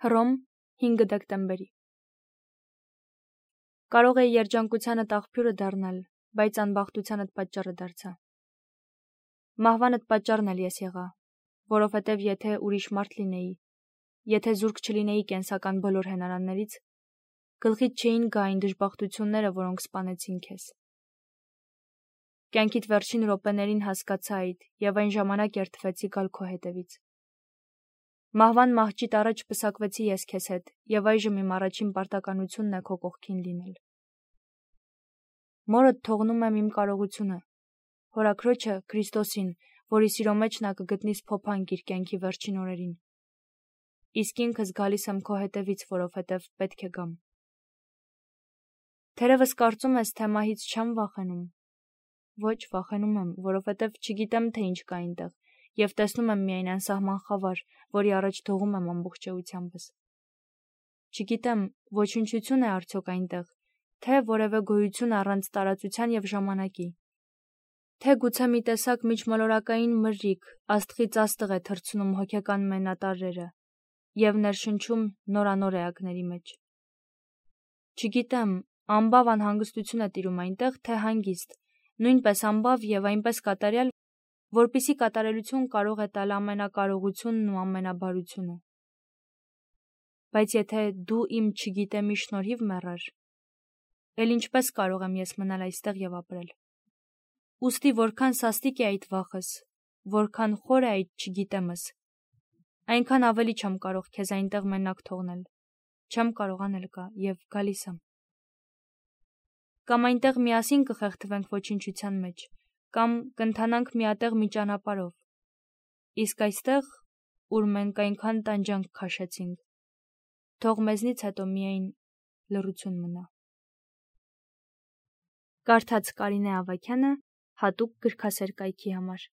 Հռոմ 5 դեկտեմբերի։ Կարող էի երջանկությանդ աղբյուրը դառնալ, բայց անբախտությանդ պատճառը դարձա։ Մահվանդ պատճառն էլ ես եղա, որովհետև եթե ուրիշ մարդ լինեի, եթե զուրկ չլինեի կենսական բոլոր հենարաններից, գլխիդ չէին գա այն դժբախտությունները, որոնք սպանեցին քեզ։ Կյանքիդ վերջին րոպեներին հասկացա այդ և այն ժամանակ երդվեցի գալ քո հետևից։ Մահվան մահճիտ առաջ պսակվեցի ես քեզ հետ և այժմ իմ առաջին պարտականությունն է քո կողքին լինել։ Մորդ թողնում եմ իմ կարողությունը, հորաքրոջը Քրիստոսին, որի սիրո մեջ նա կգտնի սփոփանք իր կյանքի վերջին օրերին։ Իսկ ինքս գալիս եմ քո հետևից, որովհետև պետք է գամ։ Թերևս կարծում ես, թե մահից չեմ վախենում։ Ոչ, վախենում եմ, որովհետև չգիտեմ, թե ինչ կա այնտեղ, և տեսնում եմ միայն անսահման խավար, որի առաջ դողում եմ ամբողջ էությանբս։ Չգիտեմ, ոչնչություն է արդյոք այնտեղ, թե որևէ գոյություն առանց տարածության և ժամանակի, թե գուցե մի տեսակ միջմոլորակային մրրիկ աստղից աստղ է թռցնում հոգեկան մենատարրերը և ներշնչում նորանոր էակների մեջ։ Չգիտեմ, ամբավ անհանգստություն է տիրում այնտեղ, թե հանգիստ, նույնպես ամբավ և այնպես կատարյալ, որպիսի կատարելություն կարող է տալ ամենակարողությունն ու ամենաբարությունը։ Բայց եթե դու իմ չգիտեմի շնորհիվ մեռար, էլ ինչպես կարող եմ ես մնալ այստեղ և ապրել։ Ուստի որքան սաստիկ է այդ վախս, որքան խոր է այդ չգիտեմս, այնքան ավելի չեմ կարող քեզ այնտեղ մենակ թողնել, չեմ կարող անել կա և գալիս եմ։ Կամ այնտեղ միասին կխեղդվենք ոչնչության մեջ, կամ կընթանանք միատեղ մի ճանապարհով, իսկ այստեղ, ուր մենք այնքան տանջանք քաշեցինք, թող մեզնից հետո միայն լռություն մնա։ Կարդաց Կարինե Ավագյանը հատուկ գրքասեր կայքի համար։